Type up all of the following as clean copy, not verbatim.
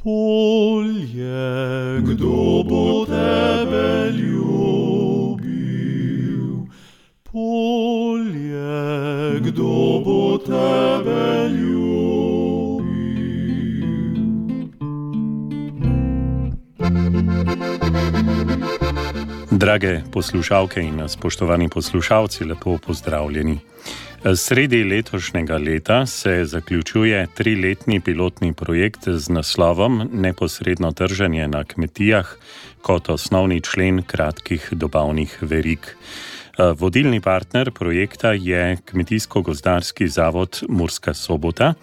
Polje, kdo bo tebe ljubil? Polje, kdo bo tebe ljubil? Drage poslušalke in spoštovani poslušalci, lepo pozdravljeni. Sredi letošnjega leta se zaključuje 3-letni pilotni projekt z naslovom Neposredno trženje na kmetijah kot osnovni člen kratkih dobavnih verig. Vodilni partner projekta je Kmetijsko-gozdarski zavod Murska Sobota.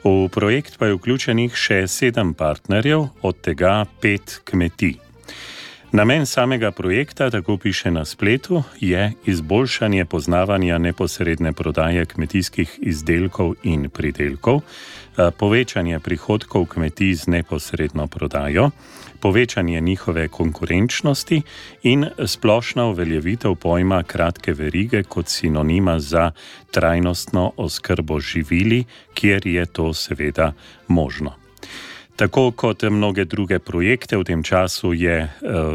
V projekt pa je vključenih še 7 partnerjev, od tega 5 kmetij. Namen samega projekta, tako piše na spletu, je izboljšanje poznavanja neposredne prodaje kmetijskih izdelkov in pridelkov, povečanje prihodkov kmetij z neposredno prodajo, povečanje njihove konkurenčnosti in splošna uveljavitev pojma kratke verige kot sinonima za trajnostno oskrbo živili, kjer je to seveda možno. Tako kot mnoge druge projekte v tem času je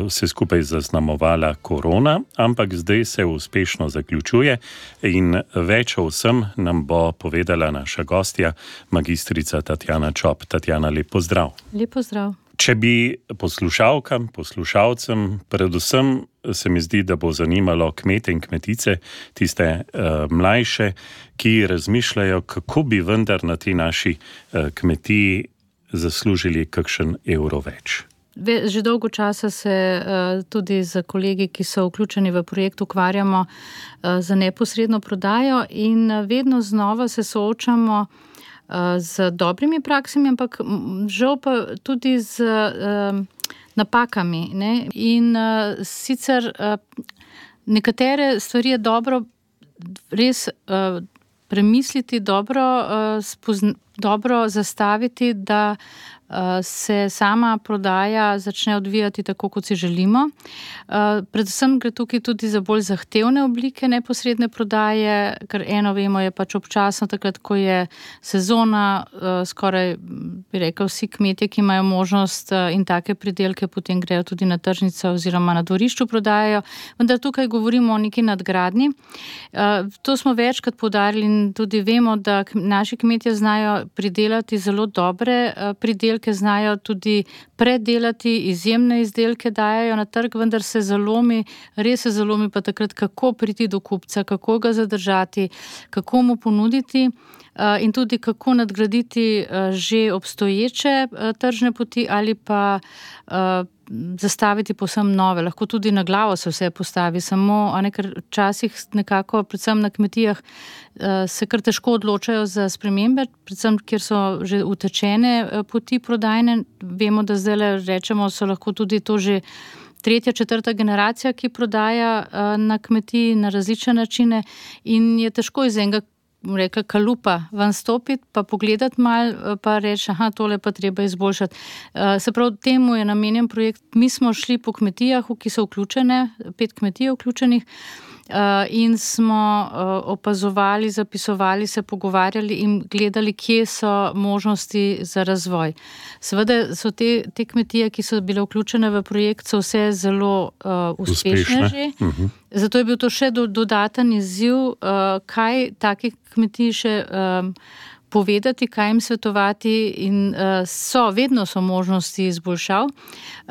vse skupaj zaznamovala korona, ampak zdaj se uspešno zaključuje in več o vsem nam bo povedala naša gostja, magistrica Tatjana Čop. Tatjana, lep pozdrav. Lep pozdrav. Če bi poslušalkam, poslušalcem, predvsem se mi zdi, da bo zanimalo kmete in kmetice, tiste mlajše, ki razmišljajo, kako bi vendar na tej naši kmetiji zaslužili kakšen evro več. Že dolgo časa se tudi z kolegi, ki so vključeni v projekt, ukvarjamo za neposredno prodajo in vedno znova se soočamo z dobrimi praksami, ampak žal pa tudi z napakami. Ne? In sicer nekatere stvari je dobro res premisliti, dobro zastaviti, da se sama prodaja začne odvijati tako, kot si želimo. Predvsem gre tukaj tudi za bolj zahtevne oblike neposredne prodaje, ker eno vemo je pač občasno takrat, ko je sezona, skoraj bi rekel vsi kmetje, ki imajo možnost in take pridelke, potem grejo tudi na tržnico oziroma na dvorišču prodajajo, vendar tukaj govorimo o neki nadgradnji. To smo večkrat poudarili in tudi vemo, da naši kmetje znajo pridelati zelo dobre pridelke, znajo tudi predelati, izjemne izdelke dajajo na trg, vendar se zalomi, res se zalomi pa takrat, kako priti do kupca, kako ga zadržati, kako mu ponuditi in tudi kako nadgraditi že obstoječe tržne poti ali pa zastaviti povsem nove. Lahko tudi na glavo se vse postavi, samo ker včasih nekako, predvsem na kmetijah, se kar težko odločajo za spremembe, predvsem, kjer so že utečene poti prodajne. Vemo, da zdaj rečemo, so lahko tudi to že 3., 4. generacija, ki prodaja na kmetiji na različne načine in je težko iz enega kalupa ven stopiti, pa pogledati malo, pa reči, tole pa treba izboljšati. Se pravi, temu je namenjen projekt. Mi smo šli po kmetijah, ki so vključene, 5 kmetij vključenih, in smo opazovali, zapisovali, se pogovarjali in gledali, kje so možnosti za razvoj. Seveda so te kmetije, ki so bile vključene v projekt, so vse zelo uspešne že. Zato je bil to še dodaten izziv, kaj takih kmetij še povedati, kaj jim svetovati in vedno so možnosti izboljšav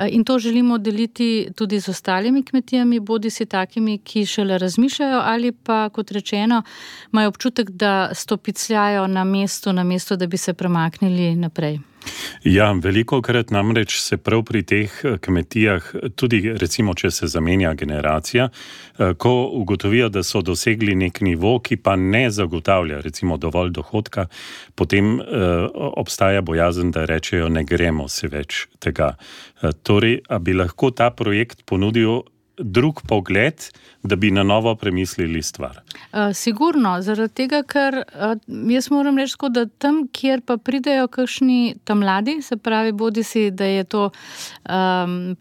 in to želimo deliti tudi z ostalimi kmetijami, bodisi takimi, ki šele razmišljajo ali pa, kot rečeno, imajo občutek, da stopicljajo na mesto, da bi se premaknili naprej. Ja, velikokrat namreč se prav pri teh kmetijah, tudi recimo, če se zamenja generacija, ko ugotovijo, da so dosegli nek nivo, ki pa ne zagotavlja recimo dovolj dohodka, potem obstaja bojazen, da rečejo, ne gremo se več tega. Torej, a bi lahko ta projekt ponudil drug pogled, da bi na novo premislili stvar? Sigurno, zaradi tega, ker jaz moram reči, da tam, kjer pa pridejo kakšni tam mladi, se pravi, bodisi, da je to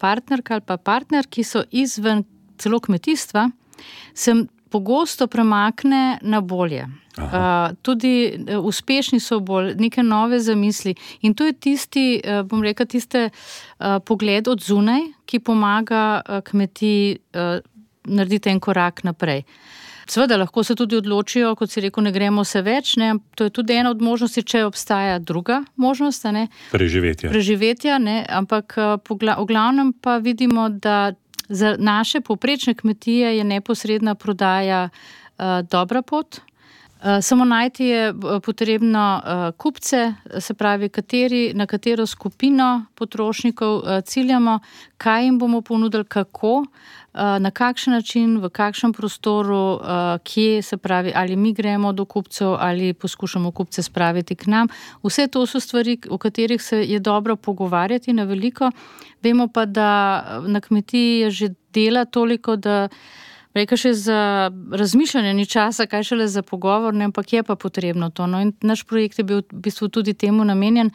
partnerka ali pa partner, ki so izven celo kmetijstva, sem pogosto premakne na bolje. Tudi uspešni so bolj, neke nove zamisli. In to je tisti, bom rekel, pogled od zunaj, ki pomaga kmetiji narediti en korak naprej. Seveda, lahko se tudi odločijo, kot si rekel, ne gremo se več, ne? To je tudi ena od možnosti, če obstaja druga možnost, ne? Preživetja, ne? Ampak v glavnem pa vidimo, da za naše povprečne kmetije je neposredna prodaja dobra pot. Samo najti je potrebno kupce, se pravi, na katero skupino potrošnikov ciljamo, kaj jim bomo ponudili, kako, na kakšen način, v kakšnem prostoru, kje, se pravi, ali mi gremo do kupcev ali poskušamo kupce spraviti k nam. Vse to so stvari, o katerih se je dobro pogovarjati na veliko. Vemo pa, da na kmetiji je že dela toliko, da reka še za razmišljanje ni časa, kaj šele za pogovor, ne, ampak je pa potrebno to. No, in naš projekt je bil v bistvu tudi temu namenjen,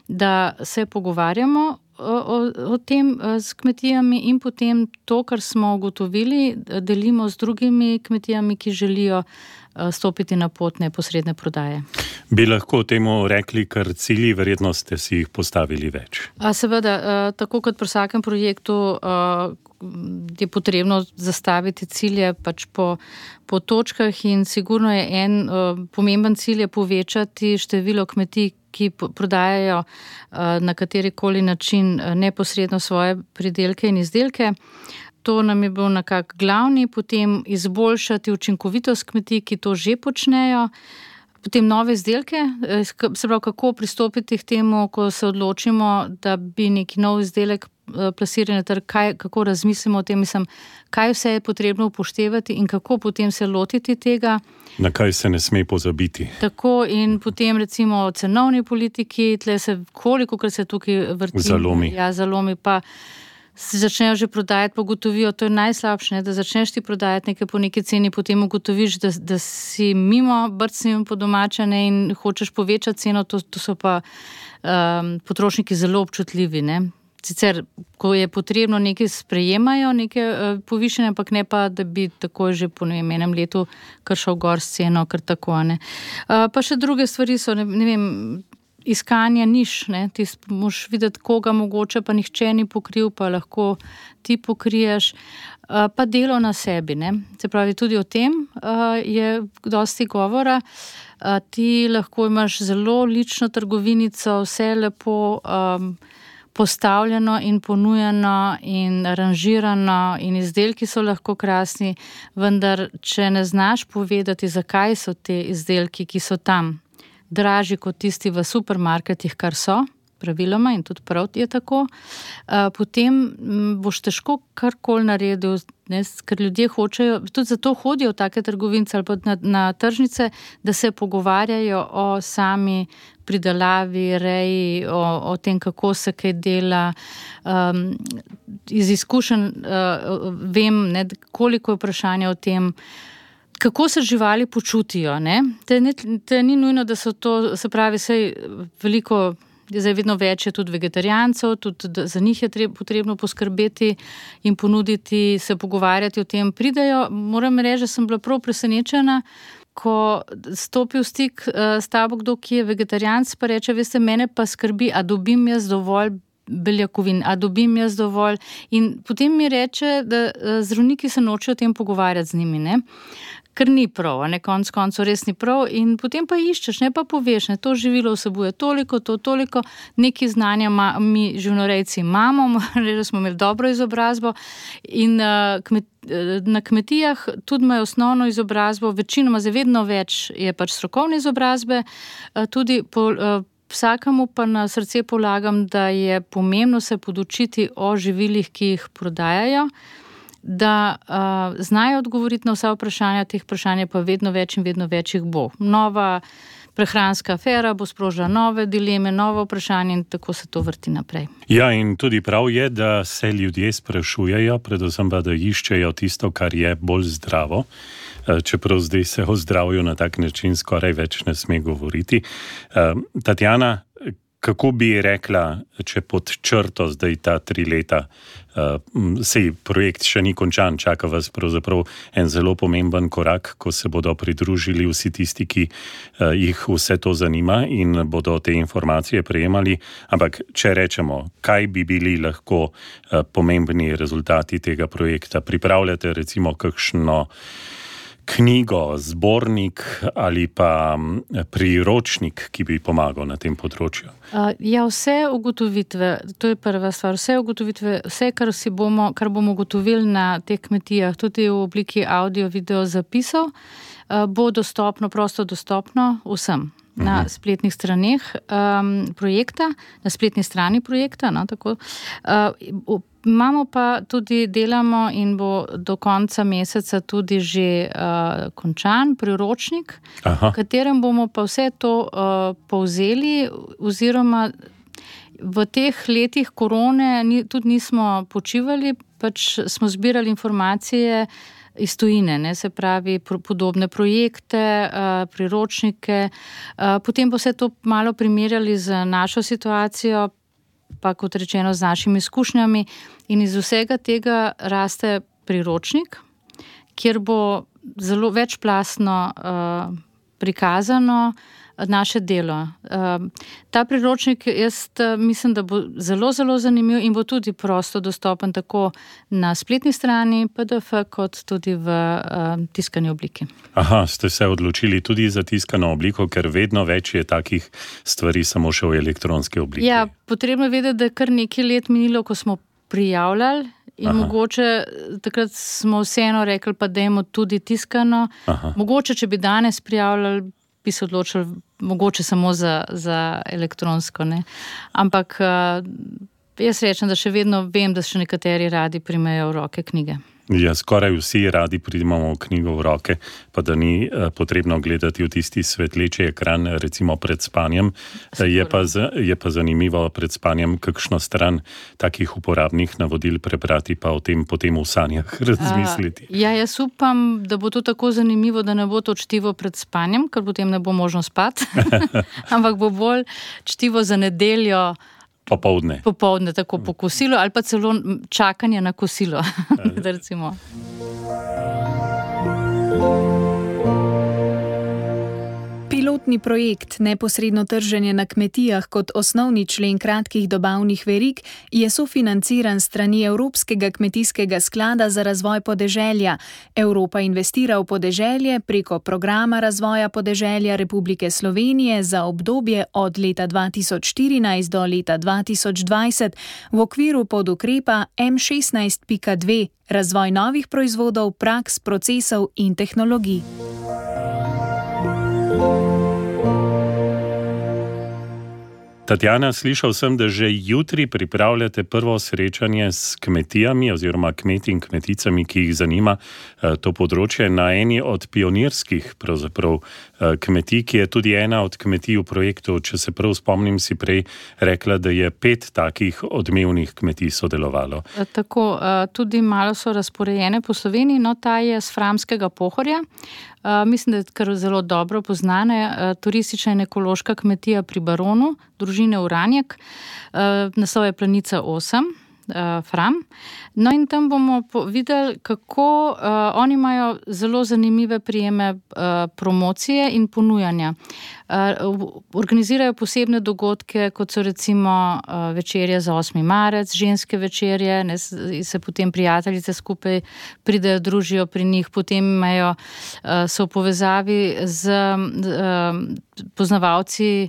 da se pogovarjamo o tem s kmetijami in potem to, kar smo ugotovili, delimo z drugimi kmetijami, ki želijo stopiti na pot neposredne prodaje. Bi lahko temu rekli, kar cilji, verjetno ste si jih postavili več? Seveda, tako kot pri vsakem projektu je potrebno zastaviti cilje pač po točkah in sigurno je en pomemben cilj je povečati število kmetij, ki prodajajo na katerikoli način neposredno svoje pridelke in izdelke. To nam je bil nekako glavni, potem izboljšati učinkovitost kmetij, ki to že počnejo, potem nove izdelke, se pravi, kako pristopiti k temu, ko se odločimo, da bi neki nov izdelek plasirali na trg, kako razmislimo o tem, kaj vse je potrebno upoštevati in kako potem se lotiti tega. Na kaj se ne sme pozabiti. Tako in potem recimo o cenovni politiki, tle se kolikokrat se tukaj vrti. Zalomi. Ja, zalomi pa se začnejo že prodajati, pa ugotovijo, to je najslabše, da začneš ti prodajati nekaj po neki ceni, potem ugotoviš, da si mimo brcnjem po domačane in hočeš povečati ceno, to so pa potrošniki zelo občutljivi, ne. Sicer, ko je potrebno nekaj sprejemajo, neke povišene, ampak ne pa, da bi tako že po enem letu kar šel gor s ceno, kar tako, ne. Pa še druge stvari so, ne vem, iskanje niš, ne, ti moš videti, koga mogoče pa nihče ni pokril, pa lahko ti pokriješ, pa delo na sebi, ne. Se pravi, tudi o tem je dosti govora. Ti lahko imaš zelo lično trgovinico, vse lepo postavljeno in ponujeno in aranžirano in izdelki so lahko krasni, vendar če ne znaš povedati, zakaj so te izdelki, ki so tam, dražji kot tisti v supermarketih, kar so, praviloma in tudi prav je tako, potem boš težko karkoli naredil, ne, ker ljudje hočejo, tudi zato hodijo v take trgovince ali pa na tržnice, da se pogovarjajo o sami pridelavi, reji, o tem, kako se kaj dela. Iz izkušenj vem, ne, koliko je vprašanja o tem, kako se živali počutijo, ne? Te ni nujno, da so to, se pravi, sej veliko, zdaj vedno več je tudi vegetarijancev, tudi za njih je potrebno poskrbeti in ponuditi, se pogovarjati o tem. Pridejo, moram reči, da sem bila prav presenečena, ko stopi v stik s tabo kdo, ki je vegetarijanc, pa reče, veste, mene pa skrbi, a dobim jaz dovolj beljakovin, a dobim jaz dovolj. In potem mi reče, da zdravniki se nočejo o tem pogovarjati z njimi, ne? Ker ni prav, ne, konec koncev res ni prav in potem pa iščeš, ne, pa poveš, ne, to živilo vsebuje toliko, neki znanja mi živinorejci imamo, da smo imeli dobro izobrazbo in na kmetijah tudi imajo osnovno izobrazbo, večinoma vedno več je pač strokovne izobrazbe, tudi vsakemu pa na srce polagam, da je pomembno se podučiti o živilih, ki jih prodajajo, da znajo odgovoriti na vsa vprašanja, teh vprašanj pa vedno več in vedno več jih bo. Nova prehranska afera bo sprožila nove dileme, nove vprašanja in tako se to vrti naprej. Ja, in tudi prav je, da se ljudje sprašujejo, predvsem pa, da iščejo tisto, kar je bolj zdravo, čeprav zdaj se o zdravju na tak način skoraj več ne sme govoriti. Tatjana, Kako bi rekla, če pod črto zdaj ta 3 leta, sej projekt še ni končan, čaka vas pravzaprav en zelo pomemben korak, ko se bodo pridružili vsi tisti, ki jih vse to zanima in bodo te informacije prejemali. Ampak če rečemo, kaj bi bili lahko pomembni rezultati tega projekta? Pripravljate recimo kakšno knjigo, zbornik ali pa priročnik, ki bi pomagal na tem področju? Ja, vse ugotovitve, to je prva stvar, vse ugotovitve, vse, kar bomo ugotovili na teh kmetijah, tudi v obliki audio, video zapisov, bo dostopno, prosto dostopno vsem na spletnih straneh projekta, na spletni strani projekta, no, tako. Imamo pa tudi, delamo in bo do konca meseca tudi že končan priročnik, v katerem bomo pa vse to povzeli, oziroma v teh letih korone tudi nismo počivali, pač smo zbirali informacije iz tujine, ne, se pravi podobne projekte, priročnike, potem bo vse to malo primerjali z našo situacijo, pa kot rečeno z našimi izkušnjami, in iz vsega tega raste priročnik, kjer bo zelo večplastno prikazano naše delo. Ta priročnik, jaz mislim, da bo zelo, zelo zanimiv in bo tudi prosto dostopen tako na spletni strani PDF, kot tudi v tiskani obliki. Ste se odločili tudi za tiskano obliko, ker vedno več je takih stvari samo še v elektronski obliki. Ja, potrebno je vedeti, da je kar nekaj let minilo, ko smo prijavljali in mogoče takrat smo vseeno rekli, pa dajmo tudi tiskano. Mogoče, če bi danes prijavljali, bi se odločili mogoče samo za elektronsko, ne. Ampak jaz rečem, da še vedno vem, da še nekateri radi primejo v roke knjige. Ja, skoraj vsi radi primamo knjigo v roke, pa da ni potrebno gledati v tisti svetleči ekran, recimo pred spanjem. Je pa zanimivo pred spanjem kakšno stran takih uporabnih navodil prebrati, pa o tem potem v sanjah razmisliti. Jaz upam, da bo to tako zanimivo, da ne bo to čtivo pred spanjem, ker potem ne bo možno spati, ampak bo bolj čtivo za nedeljo, Popoldne, tako po kosilu, ali pa celo čakanje na kosilo, recimo. Pilotni projekt Neposredno trženje na kmetijah kot osnovni člen kratkih dobavnih verig je sofinanciran strani Evropskega kmetijskega sklada za razvoj podeželja. Evropa investira v podeželje preko programa razvoja podeželja Republike Slovenije za obdobje od leta 2014 do leta 2020 v okviru podukrepa M16.2 razvoj novih proizvodov, praks, procesov in tehnologij. Tatjana, slišal sem, da že jutri pripravljate prvo srečanje s kmetijami oziroma kmeti in kmeticami, ki jih zanima to področje, na eni od pionirskih pravzaprav kmetij, ki je tudi ena od kmetij v projektu. Če se prav spomnim, si prej rekla, da je 5 takih odmevnih kmetij sodelovalo. Tako, tudi malo so razporejene po Sloveniji, no ta je s Framskega Pohorja. Mislim, da je kar zelo dobro poznana, turistična in ekološka kmetija pri Baronu, družine Uranjek, naslov je Planica 8, Fram. No in tam bomo videli, kako oni imajo zelo zanimive prijeme promocije in ponujanja. Organizirajo posebne dogodke, kot so recimo večerje za 8. marec, ženske večerje, ne, se potem prijateljice skupaj pridejo, družijo pri njih, potem imajo, so v povezavi z poznavalci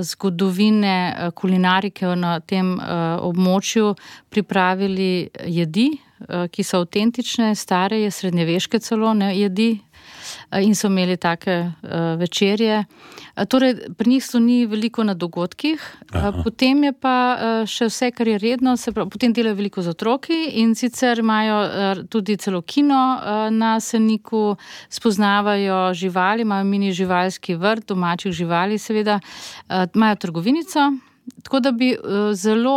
zgodovine kulinarike na tem območju pripravili jedi, ki so avtentične, stare, srednjeveške celo, ne, jedi, in so imeli take večerje. Torej, pri njih sloni veliko na dogodkih, potem je pa še vse, kar je redno, potem delajo veliko z otroki in sicer imajo tudi celo kino na Seniku, spoznavajo živali, imajo mini živalski vrt, domačih živali seveda, imajo trgovinico, Tako da bi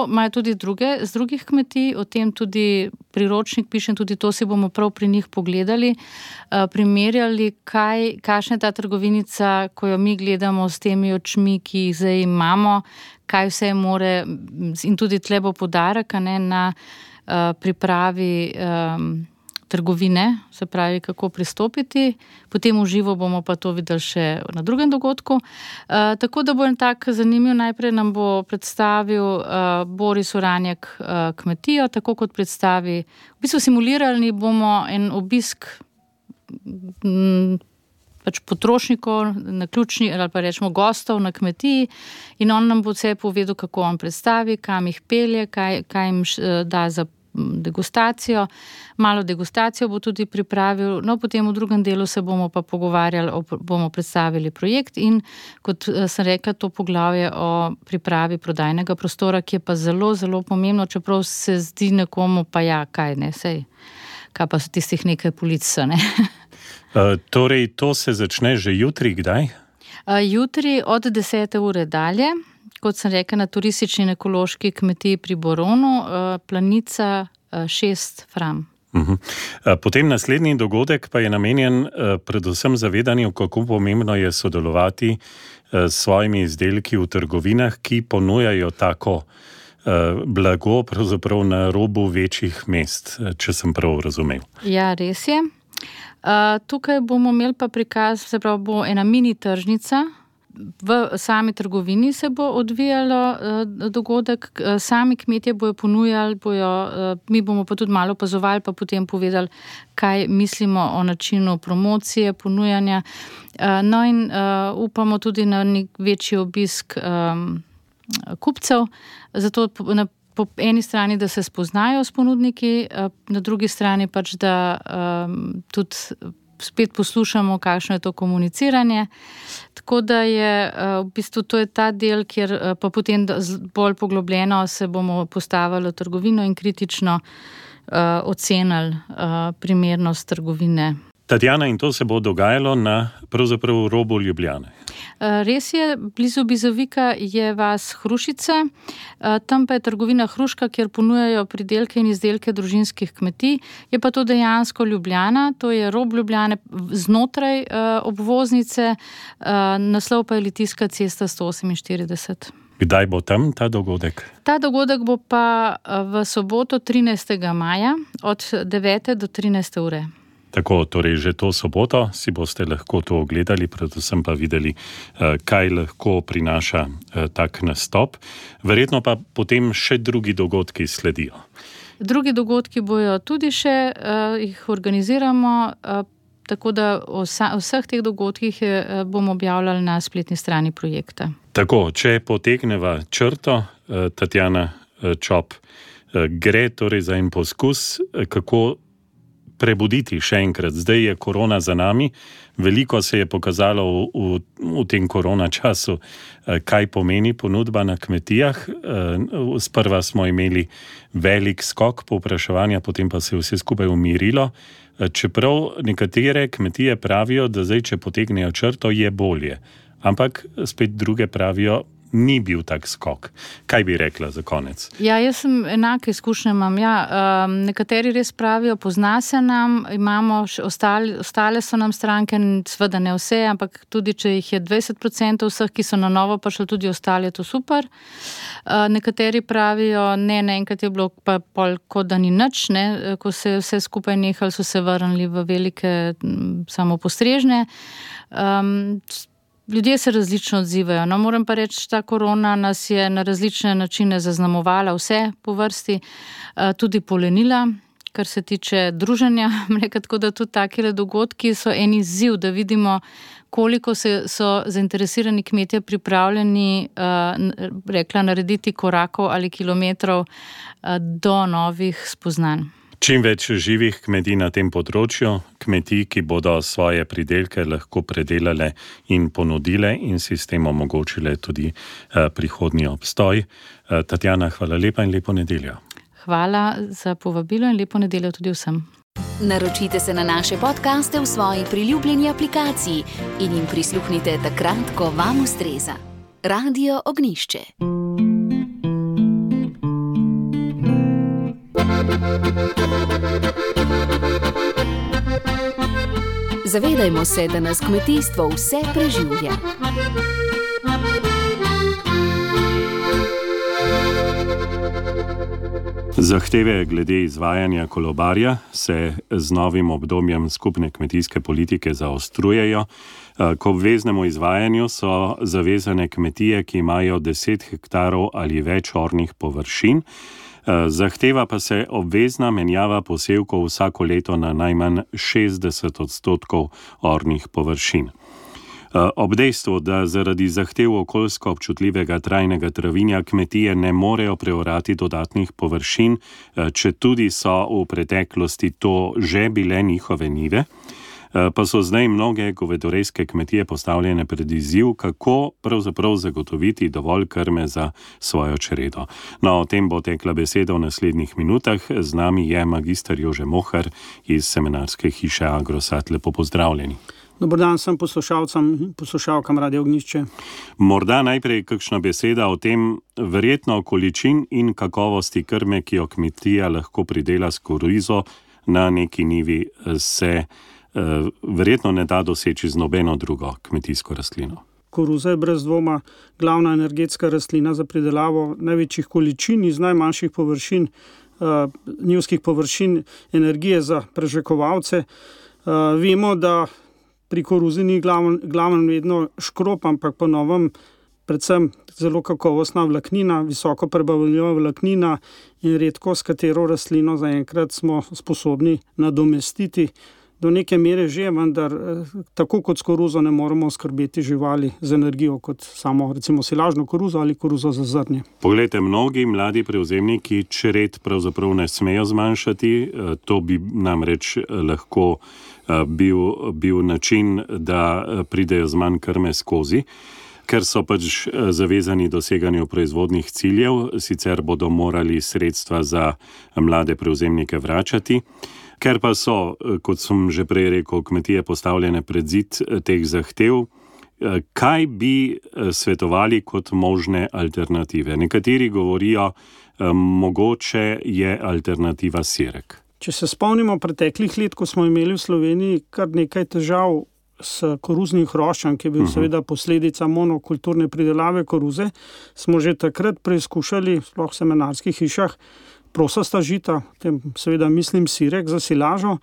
imajo tudi z drugih kmetij, o tem tudi priročnik pišem, tudi to si bomo prav pri njih pogledali, primerjali, kakšna je ta trgovinica, ko jo mi gledamo s temi očmi, ki jih zdaj imamo, kaj vse more, in tudi tle bo poudarek na pripravi trgovine, se pravi, kako pristopiti. Potem v živo bomo pa to videli še na drugem dogodku. Tako da bo en tak zanimiv, najprej nam bo predstavil Boris Uranjek kmetijo, tako kot predstavi. V bistvu simulirali bomo en obisk pač potrošnikov, naključni, ali pa rečemo gostov na kmetiji, in on nam bo vse povedal, kako on predstavi, kam jih pelje, kaj jim da za degustacijo. Malo degustacijo bo tudi pripravil, no potem v drugem delu se bomo pa pogovarjali, bomo predstavili projekt in, kot sem rekla, to poglavje o pripravi prodajnega prostora, ki je pa zelo, zelo pomembno, čeprav se zdi nekomu pa kaj pa so tistih nekaj polic, ne. Torej, to se začne že jutri, kdaj? Jutri od 10. ure dalje, kot sem rekla, na turistični in ekološki kmetiji pri Boronu, Planica 6 Fram. Potem naslednji dogodek pa je namenjen predvsem zavedanju, kako pomembno je sodelovati s svojimi izdelki v trgovinah, ki ponujajo tako blago pravzaprav na robu večjih mest, če sem prav razumel. Ja, res je. Tukaj bomo imeli pa prikaz, se pravi, bo ena mini tržnica. V sami trgovini se bo odvijalo dogodek, sami kmetje bojo ponujali, mi bomo pa tudi malo opazovali, pa potem povedali, kaj mislimo o načinu promocije, ponujanja. No in upamo tudi na nek večji obisk kupcev, zato po eni strani, da se spoznajo s ponudniki, na drugi strani pač, da tudi spet poslušamo, kakšno je to komuniciranje. Tako da je v bistvu to je ta del, kjer pa potem bolj poglobljeno se bomo postavili v trgovino in kritično ocenili primernost trgovine. Tatjana, in to se bo dogajalo na pravzaprav robu Ljubljane. Res je, blizu Bizovika je vas Hrušica, tam pa je trgovina Hruška, kjer ponujajo pridelke in izdelke družinskih kmetij. Je pa to dejansko Ljubljana, to je rob Ljubljane znotraj obvoznice, naslov pa je Litijska cesta 148. Kdaj bo tam ta dogodek? Ta dogodek bo pa v soboto 13. maja od 9. do 13. ure. Tako, torej že to soboto si boste lahko to ogledali, predvsem pa videli, kaj lahko prinaša tak nastop. Verjetno pa potem še drugi dogodki sledijo. Drugi dogodki bojo tudi še, jih organiziramo, tako da o vseh teh dogodkih bomo objavljali na spletni strani projekta. Tako, če potegneva črto, Tatjana Čop, gre torej za en poskus, kako prebuditi še enkrat. Zdaj je korona za nami, veliko se je pokazalo v tem korona času, kaj pomeni ponudba na kmetijah. Sprva smo imeli velik skok povpraševanja, potem pa se je vse skupaj umirilo. Čeprav nekatere kmetije pravijo, da zdaj, če potegnejo črto, je bolje. Ampak spet druge pravijo, ni bil tak skok. Kaj bi rekla za konec? Ja, jaz sem enake izkušnje imam. Nekateri res pravijo, pozna se nam, imamo ostale so nam stranke, seveda ne vse, ampak tudi če jih je 20% vseh, ki so na novo prišli, tudi ostali, je to super. Nekateri pravijo, naenkrat je bilo pa pol, kot da ni nič, ko se vse skupaj nehali, so se vrnili v velike samopostrežne. Ljudje se različno odzivajo. No, moram pa reči, ta korona nas je na različne načine zaznamovala, vse po vrsti, tudi polenila, kar se tiče druženja. Tako da tudi takele dogodki so en izziv, da vidimo, koliko so zainteresirani kmetje pripravljeni, narediti korakov ali kilometrov do novih spoznanj. Čim več živih kmetij na tem področju, kmetij, ki bodo svoje pridelke lahko predelale in ponudile in si s tem omogočile tudi prihodnji obstoj. Tatjana, hvala lepa in lepo nedeljo. Hvala za povabilo in lepo nedeljo tudi vsem. Naročite se na naše podcaste v svoji priljubljeni aplikaciji in jim prisluhnite takrat, ko vam ustreza. Radio Ognjišče. Zavedajmo se, da nas kmetijstvo vse preživlja. Zahteve glede izvajanja kolobarja se z novim obdobjem skupne kmetijske politike zaostrujejo. K obveznemu izvajanju so zavezane kmetije, ki imajo 10 hektarov ali več ornih površin. Zahteva pa se obvezna menjava posevkov vsako leto na najmanj 60% ornih površin. Ob dejstvu, da zaradi zahtev okoljsko občutljivega trajnega travinja kmetije ne morejo preorati dodatnih površin, četudi so v preteklosti to že bile njihove njive, pa so zdaj mnoge govedorejske kmetije postavljene pred izziv, kako pravzaprav zagotoviti dovolj krme za svojo čredo. No, o tem bo tekla beseda v naslednjih minutah. Z nami je magister Jože Mohar iz semenarske hiše Agrosat. Lepo pozdravljeni. Dober dan vsem poslušalkam Radio Ognjišče. Morda najprej kakšna beseda o tem, verjetno količin in kakovosti krme, ki jo kmetija lahko pridela s korizo na neki njivi, se verjetno ne da doseči z nobeno drugo kmetijsko rastlino. Koruza je brez dvoma glavna energetska rastlina za pridelavo največjih količin iz najmanjših površin, njivskih površin energije za prežvekovalce. Vemo, da pri koruzi ni glaven vedno škrop, ampak po novem predvsem zelo kakovostna vlaknina, visoko prebavljiva vlaknina in redko s katero rastlino zaenkrat smo sposobni nadomestiti. Do neke mere že, vendar tako kot s koruzo ne moremo skrbeti živali z energijo kot samo recimo silažno koruzo ali koruzo za zrnje. Poglejte, mnogi mladi prevzemniki čred pravzaprav ne smejo zmanjšati, to bi namreč lahko bil način, da pridejo z manj krme skozi, ker so pač zavezani doseganju proizvodnih ciljev, sicer bodo morali sredstva za mlade prevzemnike vračati. Ker pa so, kot sem že prej rekel, kmetije postavljene pred zid teh zahtev, kaj bi svetovali kot možne alternative? Nekateri govorijo, mogoče je alternativa sirek. Če se spomnimo preteklih let, ko smo imeli v Sloveniji kar nekaj težav s koruznim hroščem, ki je bil seveda posledica monokulturne pridelave koruze, smo že takrat preizkušali, sploh v semenarskih hišah, prosasta žita, tem seveda mislim sirek za silažo,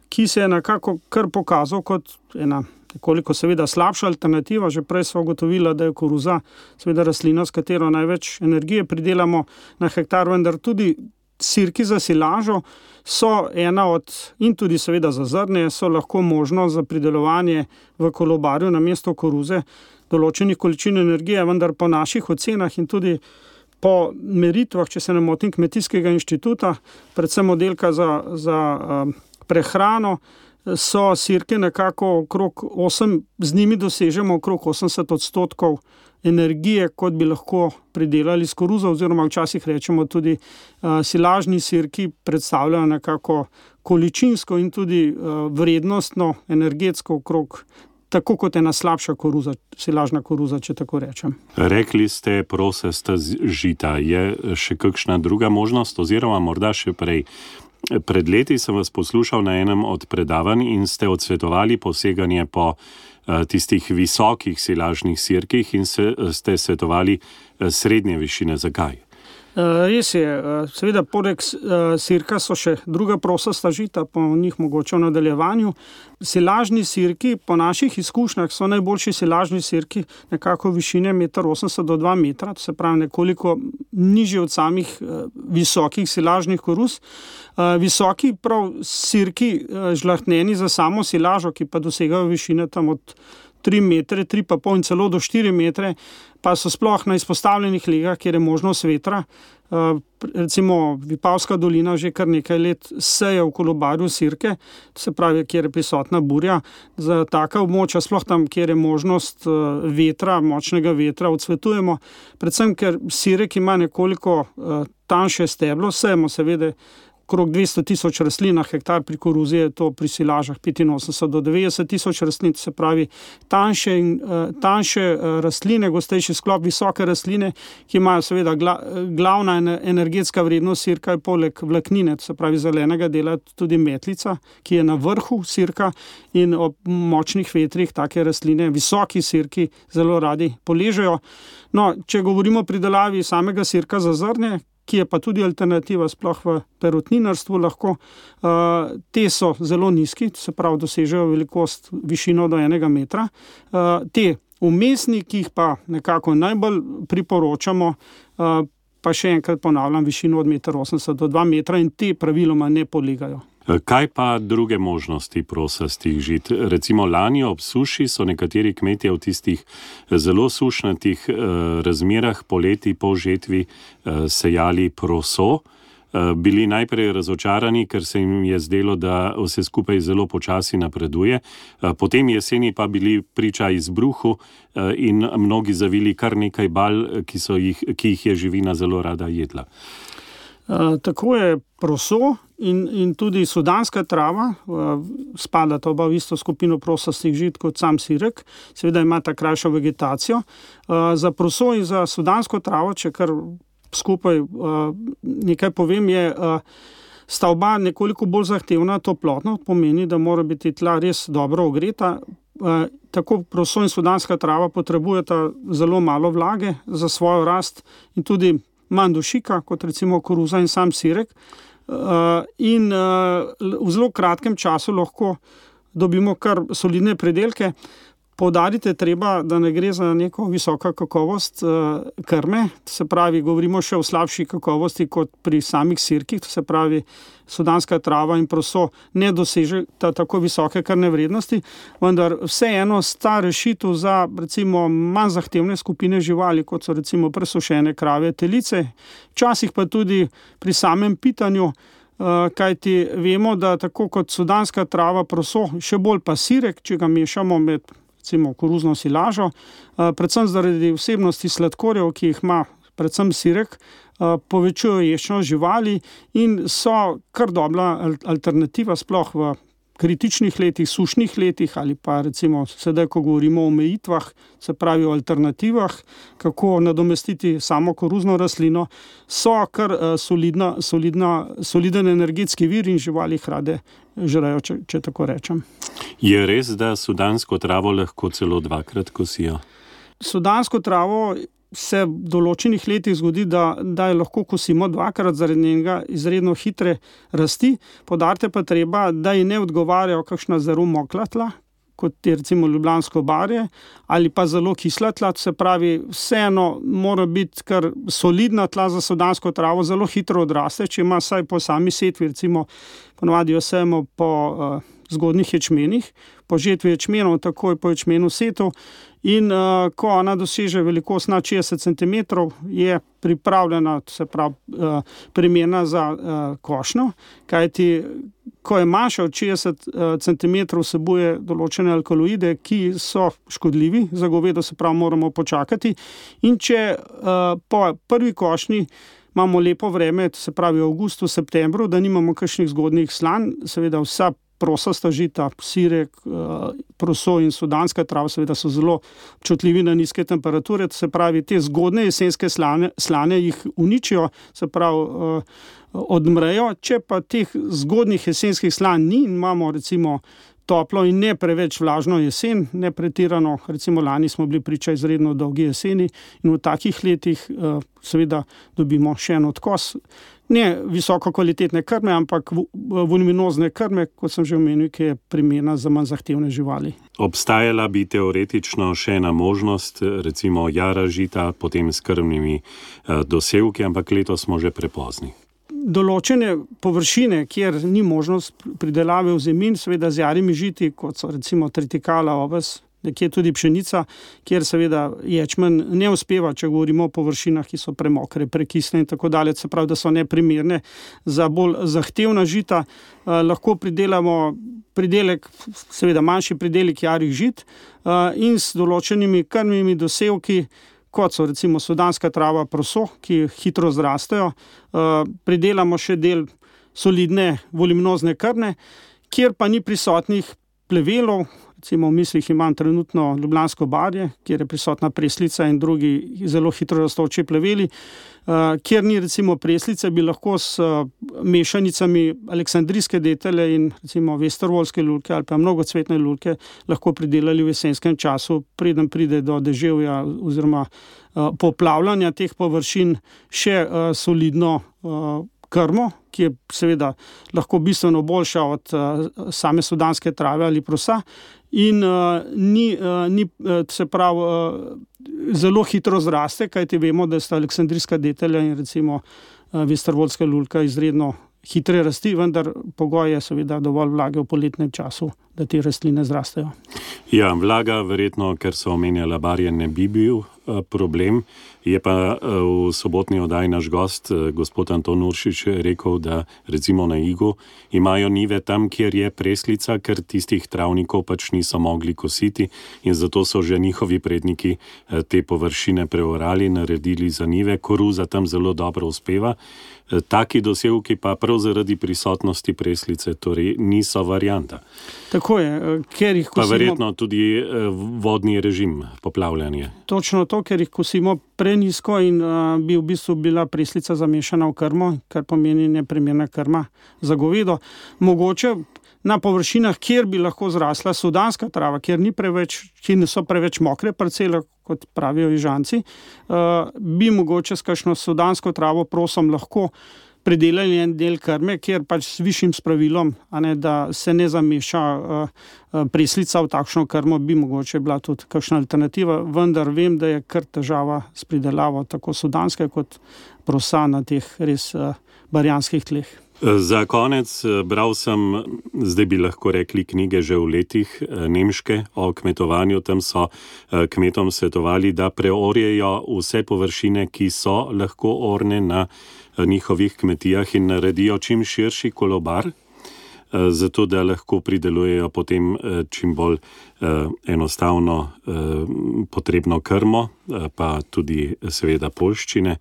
ki se je nekako kar pokazal kot ena nekoliko seveda slabša alternativa. Že prej smo ugotovili, da je koruza seveda rastlina, s katero največ energije pridelamo na hektar, vendar tudi sirki za silažo so ena od, in tudi seveda za zrnje, so lahko možnost za pridelovanje v kolobarju namesto koruze določenih količin energije, vendar po naših ocenah in tudi po meritvah, če se ne motim, Kmetijskega inštituta, predvsem oddelka za prehrano, so sirke nekako okrog 8, z njimi dosežemo okrog 80% energije, kot bi lahko pridelali s koruzo, oziroma včasih rečemo tudi silažni sirki predstavljajo nekako količinsko in tudi vrednostno, energetsko okrog tako kot ena slabša koruza, silažna koruza, če tako rečem. Rekli ste prosasta žita. Je še kakšna druga možnost, oziroma morda še prej? Pred leti sem vas poslušal na enem od predavanj in ste odsvetovali poseganje po tistih visokih silažnih sirkih in ste svetovali srednje višine. Zakaj? Res je, seveda poleg sirka so še druga prosasta žita, po njih mogoče v nadaljevanju. Silažni sirki, po naših izkušnjah, so najboljši silažni sirki nekako višine 1,80 do 2 metra, to se pravi nekoliko nižje od samih visokih silažnih koruz. Visoki prav sirki žlahtnjeni za samo silažo, ki pa dosegajo višine tam od 3 metre, 3,5 in celo do 4 metre, pa so sploh na izpostavljenih legah, kjer je možnost vetra. Recimo Vipavska dolina že kar nekaj let seje v kolobarju sirke, se pravi, kjer je prisotna burja. Za taka območja, sploh tam, kjer je možnost vetra, močnega vetra, odsvetujemo. Predvsem, ker sirek ima nekoliko tanjše steblo, sejemo seveda okrog 200 tisoč rastlin na hektar, pri koruzi je to pri silažah 85 do 90 tisoč rastlin, se pravi tanjše rastline, gostejši sklop, visoke rastline, ki imajo seveda glavna energetska vrednost sirka je poleg vlaknine, se pravi zelenega dela, tudi metlica, ki je na vrhu sirka, in ob močnih vetrih take rastline, visoki sirki zelo radi poležejo. No, če govorimo o pridelavi samega sirka za zrnje, ki je pa tudi alternativa sploh v perutninarstvu lahko, te so zelo nizki, se pravi dosežejo velikost, višino do 1 metra. Te vmesni, ki jih pa nekako najbolj priporočamo, pa še enkrat ponavljam, višino od 1,80 m do 2 metra, in te praviloma ne polegajo. Kaj pa druge možnosti prosastih žit? Recimo lani ob suši so nekateri kmetje v tistih zelo sušnatih razmerah poleti po žetvi sejali proso. Bili najprej razočarani, ker se jim je zdelo, da vse skupaj zelo počasi napreduje. Potem jeseni pa bili priča izbruhu in mnogi zavili kar nekaj bal, ki jih je živina zelo rada jedla. Tako je proso in tudi sudanska trava, spadata oba v isto skupino prosastih žit kot sam sirek, seveda imata krajšo vegetacijo. Za proso in za sudansko travo, če kar skupaj nekaj povem, sta oba nekoliko bolj zahtevna toplotno, pomeni, da mora biti tla res dobro ogreta. Tako proso in sudanska trava potrebujeta zelo malo vlage za svojo rast in tudi manj dušika, kot recimo koruza in sam sirek, in v zelo kratkem času lahko dobimo kar solidne pridelke. Poudariti treba, da ne gre za neko visoko kakovost krme, se pravi, govorimo še o slabši kakovosti kot pri samih sirkih, se pravi, sudanska trava in proso ne doseže tako visoke krvne vrednosti, vendar vseeno sta rešitev za recimo manj zahtevne skupine živali, kot so recimo presušene krave, telice, včasih pa tudi pri samem pitanju, kajti vemo, da tako kot sudanska trava, proso, še bolj pa sirek, če ga mešamo med recimo koruzno silažo, predvsem zaradi vsebnosti sladkorjev, ki jih ima predvsem sirek, povečujejo ješčnost živali in so kar dobra alternativa sploh v kritičnih letih, sušnih letih ali pa recimo sedaj, ko govorimo o omejitvah, se pravi o alternativah, kako nadomestiti samo koruzno rastlino, so kar soliden energetski vir in živali jih rade žrejo, če tako rečem. Je res, da sudansko travo lahko celo 2-krat kosijo? Sudansko travo se v določenih letih zgodi, da jo lahko kosimo 2-krat zaradi njenega izredno hitre rasti. Poudariti pa treba, da ji ne odgovarjajo kakšna zelo mokla tla, kot je recimo ljubljansko barje, ali pa zelo kisla tla, se pravi, vseeno mora biti kar solidna tla za sudansko travo, zelo hitro odraste, če ima saj po sami setvi, recimo ponavadi jo sejemo po zgodnjih ječmenih, po žetvi ječmenov, takoj po ječmenu setu, in ko ona doseže velikost nad 60 cm, je pripravljena, se pravi, primerna za košnjo, kajti ko je manjša od 60 cm, vsebuje določene alkaloide, ki so škodljivi za govedo, se pravi, moramo počakati. In če po prvi košnji imamo lepo vreme, se pravi v avgustu, septembru, da nimamo kakšnih zgodnjih slan, seveda vsa prosasta žita, sirek, proso in sudanska trava seveda so zelo občutljivi na nizke temperature, se pravi, te zgodne jesenske slane jih uničijo, se pravi, odmrejo. Če pa teh zgodnjih jesenskih slan ni in imamo recimo toplo in ne preveč vlažno jesen, ne pretirano, recimo lani smo bili priča izredno dolgi jeseni in v takih letih seveda dobimo še en odkos. Ne visoko kvalitetne krme, ampak voluminozne krme, kot sem že omenil, ki je primerna za manj zahtevne živali. Obstajala bi teoretično še ena možnost, recimo jara žita, potem s krmnimi dosevki, ampak letos smo že prepozni. Določene površine, kjer ni možnost pridelave v zemin, seveda z jarimi žiti, kot so recimo tritikala, oves, nekje tudi pšenica, kjer seveda ječmen ne uspeva, če govorimo o površinah, ki so premokre, prekisne in tako dalje, se pravi, da so neprimerne za bolj zahtevna žita. Lahko pridelamo pridelek, seveda manjši pridelek jarih žit in s določenimi krmnimi dosevki, kot so recimo sudanska trava, proso, ki hitro zrastejo. Pridelamo še del solidne voluminozne krme, kjer pa ni prisotnih plevelov. Recimo v mislih imam trenutno Ljubljansko barje, kjer je prisotna preslica in drugi zelo hitro rastoči pleveli. Kjer ni recimo preslice, bi lahko s mešanicami aleksandrijske detelje in recimo vestervolske lulke ali pa mnogocvetne lulke lahko pridelali v jesenskem času, preden pride do deževja oziroma poplavljanja teh površin, še solidno krmo, ki je seveda lahko bistveno boljša od same sudanske trave ali prosa in zelo hitro zraste, kajti vemo, da sta aleksandrijska detelja in recimo vestervolska lulka izredno hitre rasti, vendar pogoj je seveda dovolj vlage v poletnem času, da te rastline zrastejo. Ja, vlaga verjetno, ker so omenjala barje, ne bi bil problem. Je pa v sobotni oddaji naš gost, gospod Anton Uršič, rekel, da recimo na Igu imajo njive tam, kjer je preslica, ker tistih travnikov pač niso mogli kositi in zato so že njihovi predniki te površine preorali, naredili za njive. Koruza tam zelo dobro uspeva. Taki dosevki pa prav zaradi prisotnosti preslice torej niso varianta. Tako je, ker jih kosimo... Pa verjetno tudi vodni režim, poplavljanje. Točno to, ker jih kosimo prenizko in bi v bistvu bila preslica zamešana v krmo, kar pomeni neprimerna krma za govedo. Mogoče na površinah, kjer bi lahko zrasla sudanska trava, kjer niso preveč mokre parcele, kot pravijo Ižanci, bi mogoče s kakšno sudansko travo prosom lahko pridelali en del krme, kjer pač s višjim spravilom, da se ne zameša preslica v takšno krmo, bi mogoče bila tudi kakšna alternativa, vendar vem, da je kar težava s pridelavo tako sudanske kot prosa na teh res barjanskih tleh. Za konec bral sem, zdaj bi lahko rekli knjige že v letih, nemške o kmetovanju. Tam so kmetom svetovali, da preorjejo vse površine, ki so lahko orne na njihovih kmetijah in naredijo čim širši kolobar, zato da lahko pridelujejo potem čim bolj enostavno potrebno krmo, pa tudi seveda poljščine.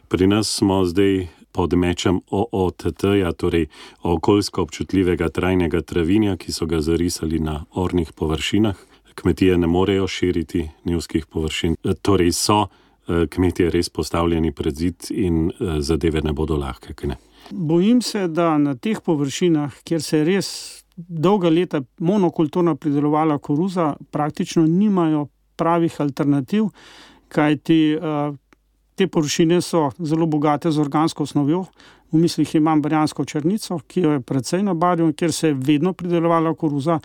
Pri nas smo zdaj pod mečem OOTT-ja, torej okoljsko občutljivega trajnega travinja, ki so ga zarisali na ornih površinah. Kmetije ne morejo širiti njivskih površin, torej so kmetije res postavljeni pred zid in zadeve ne bodo lahke, kaj ne? Bojim se, da na teh površinah, kjer se je res dolga leta monokulturno pridelovala koruza, praktično nimajo pravih alternativ, kajti te površine so zelo bogate z organsko osnovjo. V mislih imam barjansko črnico, ki jo je precej na barju, kjer se je vedno pridelovala koruza.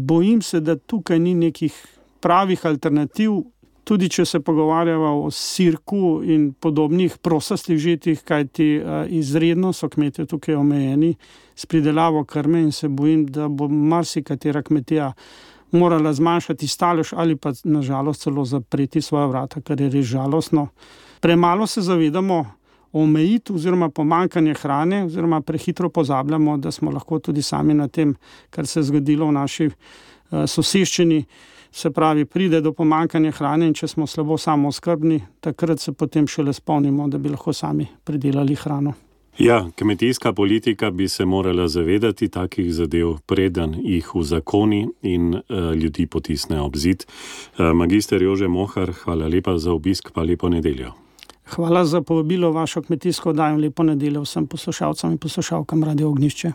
Bojim se, da tukaj ni nekih pravih alternativ, tudi če se pogovarjava o sirku in podobnih prosastih žetih, kajti izredno so kmetje tukaj omejeni s pridelavo krme in se bojim, da bo marsikatera kmetija morala zmanjšati stalež ali pa nažalost celo zapreti svoja vrata, kar je res žalostno. Premalo se zavedamo omejitev oziroma pomanjkanje hrane oziroma prehitro pozabljamo, da smo lahko tudi sami na tem, kar se je zgodilo v naši soseščini. Se pravi, pride do pomanjkanja hrane in če smo slabo samooskrbni, takrat se potem šele spomnimo, da bi lahko sami pridelali hrano. Ja, kmetijska politika bi se morala zavedati takih zadev, preden jih uzakoni in ljudi potisne ob zid. Magister Jože Mohar, hvala lepa za obisk, pa lepo nedeljo. Hvala za povabilo vašo kmetijsko oddajo, lepo nedeljo vsem poslušalcem in poslušalkam Radio Ognjišče.